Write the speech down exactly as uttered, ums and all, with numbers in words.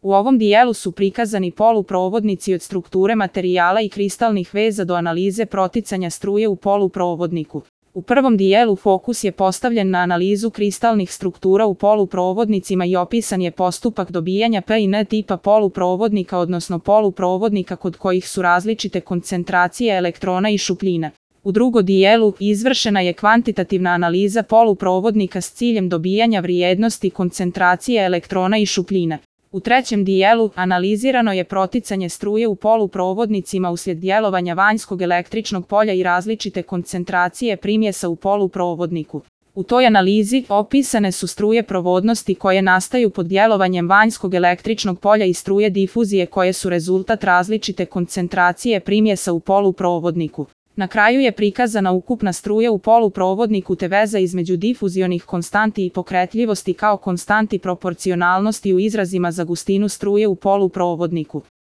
U ovom dijelu su prikazani poluprovodnici od strukture materijala i kristalnih veza do analize proticanja struje u poluprovodniku. U prvom dijelu fokus je postavljen na analizu kristalnih struktura u poluprovodnicima i opisan je postupak dobijanja P i N tipa poluprovodnika, odnosno poluprovodnika kod kojih su različite koncentracije elektrona i šupljina. U drugom dijelu izvršena je kvantitativna analiza poluprovodnika s ciljem dobijanja vrijednosti koncentracije elektrona i šupljina. U trećem dijelu analizirano je proticanje struje u poluprovodnicima uslijed djelovanja vanjskog električnog polja i različite koncentracije primjesa u poluprovodniku. U toj analizi opisane su struje provodnosti koje nastaju pod djelovanjem vanjskog električnog polja i struje difuzije koje su rezultat različite koncentracije primjesa u poluprovodniku. Na kraju je prikazana ukupna struja u poluprovodniku te veza između difuzionih konstanti i pokretljivosti kao konstanti proporcionalnosti u izrazima za gustinu struje u poluprovodniku.